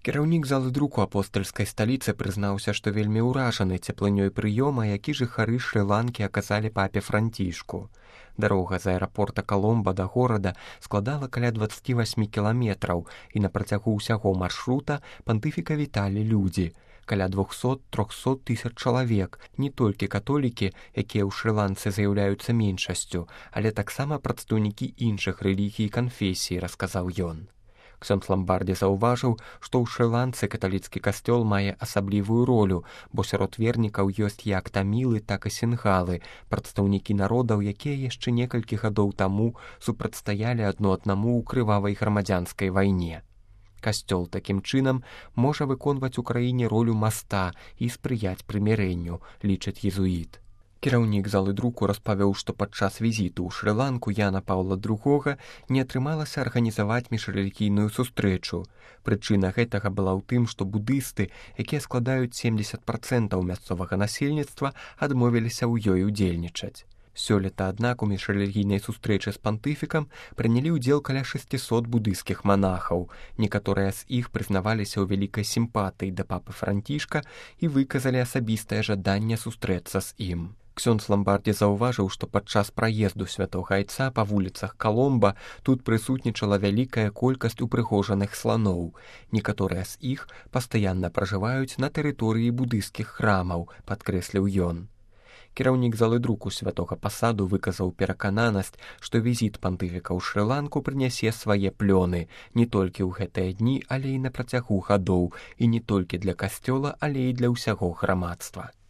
Кіраўнік залы друку апостальскай сталіцы прызнаўся, што вельмі ўражаны цеплынёй прыёма, які жыхары Шры-Ланкі аказалі папе Францішку. Дарога з аэрапорта Каломба да горада складала каля 28 кіламетраў, і на працягу ўсяго маршрута пантыфіка віталі людзі. Каля 200-300 тысяч чалавек, не толькі католікі, якія ў Шры-Ланцы з'яўляюцца меншасцю, але таксама прадстаўнікі іншых рэлігій і канфесій, расказаў ён. Ксёндз Ламбардзі заўважыў, што ў Шры-Ланцы каталіцкі касцёл мае асаблівую ролю, бо сярод вернікаў ёсць як тамілы, так і сінгалы, прадстаўнікі народаў, якія яшчэ некалькі гадоў таму супрацьстаялі адно аднаму ў крывавай грамадзянскай вайне. Касцёл такім чынам можа выконваць у краіне ролю маста і спрыяць прымірэнню, лічыць езуіт. Кіраўнік залы друку распавёў, што падчас візіту ў Шры-Ланку Яна Паўла II не атрымалася арганізаваць міжрэлігійную сустрэчу. Прычына гэтага была ў тым, што будысты, якія складаюць 70% мясцовага насельніцтва, адмовіліся ў ёй удзельнічаць. Сёлета, аднак, у міжрэлігійнай сустрэчы з пантыфікам прынялі ўдзел каля 600 будыйскіх манахаў. Некаторыя з іх прызнаваліся ў вялікай сімпатыі да папы Францішка і выказалі асабістае жаданне сустрэцца з ім. Ксёндз Ламбардзі заўважыў, што падчас праезду святога айца па вуліцах Каломба тут прысутнічала вялікая колькасць упрыгожаных сланоў. Некаторыя з іх пастаянна пражываюць на тэрыторыі будыйскіх храмаў, падкрэсліў ён. Кіраўнік залы друку святога пасаду выказаў перакананасць, што візіт пантыфіка ў Шры-Ланку прынясе свае плёны не толькі ў гэтыя дні, але і на працягу гадоў, і не толькі для касцёла, але і для ўсяго грамадства.